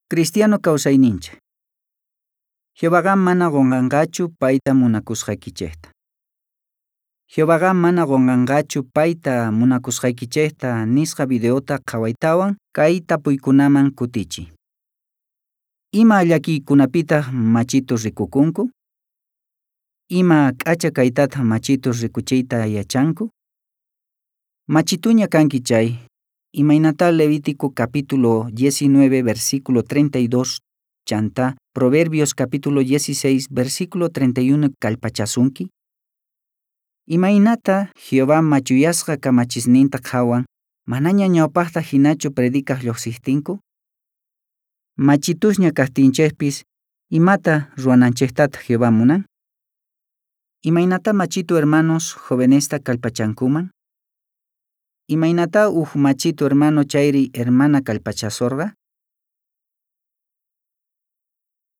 Cristiano kawsayninchik. Jehovaqa mana qunqanqachu payta munakusqaykichikta. Jehovaqa mana qunqanqachu payta munakusqaykichikta nisqa videota qhawaytawan kay tapuykunaman kutichiy. Ima llakiykunapitaq machitus rikukunku? Ima k'acha kaytataq machitus rikuchiyta yachanku? Machituña kanki chay, imaynatá Levítico capítulo 19 versículo 32 chantá Proverbios capítulo 16 versículo 31 kallpachasunki? Imaynatá Jehová machuyasqa kamachisninta qhawan manaña ñawpaqta hinachu predicaq lluqsiqtinku? Machitusña kaqtinchikpis, imata ruwananchiktataq Jehová munan? Imaynatá machitu hermanos jovenesta kallpachankuman? Imaynatá uj machitu hermano chayri hermana kallpachasorqa?